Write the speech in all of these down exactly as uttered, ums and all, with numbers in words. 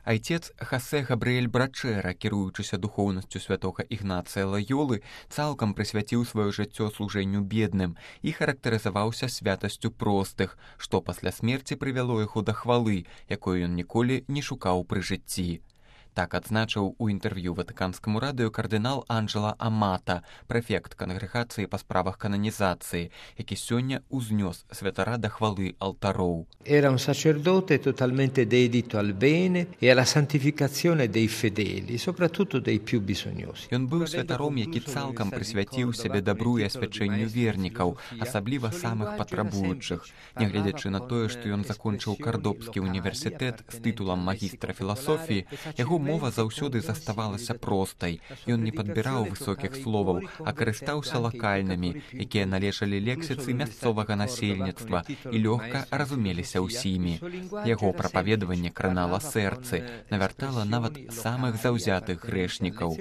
Айцец Хасе Габрыэль Брачэра, кіруючыся духоўнасцю святога Ігнацыя Лаёлы, цалкам прысвяціў сваё жыццё служэнню бедным і характарызаваўся святасцю простых, што пасля смерці прывяло яго да хвалы, якой ён ніколі не шукаў пры жыцці. Так адзначыў у інтэрв'ю ватыканскаму радыё кардынал Анджела Амата, прэфект кангрэгацыі па справах кананізацыі, які сёння ўзнёс святара да хвалы алтароў. Era un sacerdote totalmente dedito al bene e alla santificazione dei fedeli, soprattutto dei più bisognosi. Ён быў святаром, які цалкам прысвяціў сябе дабру і асвячэнню вернікаў, асабліва самых патрабуючых. Нягледзячы на тое, што ён закончыў Кардобскі універсітэт з тытулам магістра філасофіі, яго мова заўсёды заставалася простай. Ён не падбіраў высокіх словаў, а карыстаўся лакальнымі, якія належалі лексіцы мясцовага насельніцтва і лёгка разумеліся ўсімі. Яго прапаведаванне кранала сэрцы, навяртала нават самых заўзятых грэшнікаў.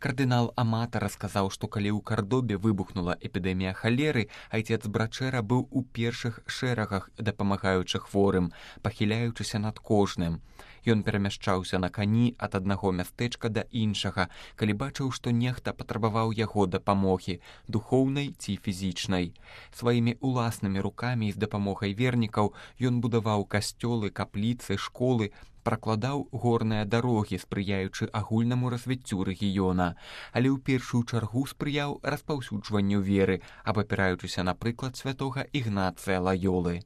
Кардынал Амата расказаў, што калі ў Кардобе выбухнула эпідэмія халеры, айцец Брачэра быў у першых шэрагах, дапамагаючы хворым, пахіляючыся над кожным. Ён перамяшчаўся на кані ад аднаго мястэчка да іншага, калі бачыў, што нехта патрабаваў яго дапамогі, духоўнай ці фізічнай. Сваімі уласнымі рукамі і з дапамогай вернікаў ён будаваў касцёлы, капліцы, школы, пракладаў горныя дарогі, спрыяючы агульнаму развіццю рэгіёна, але ў першую чаргу спрыяў распаўсюджванню веры, абапіраючыся на прыклад святога Ігнацыя Лаёлы.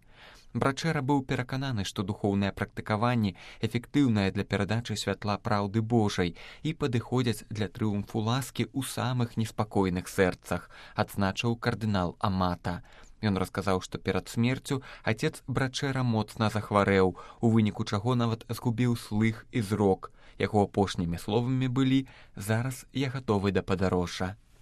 Брачэра быў перакананы, што духоўныя практыкаванні эфектыўныя для перадачы святла праўды Божай і падыходзяць для трыумфу ласкі ў самых неспакойных сэрцах, адзначыў кардынал Амата. Ён расказаў, што перад смерцю айцец Брачэра моцна захварэў, у выніку чаго нават згубіў слых і зрок. Яго апошнімі словамі былі: «Зараз я гатовы да падарожжа».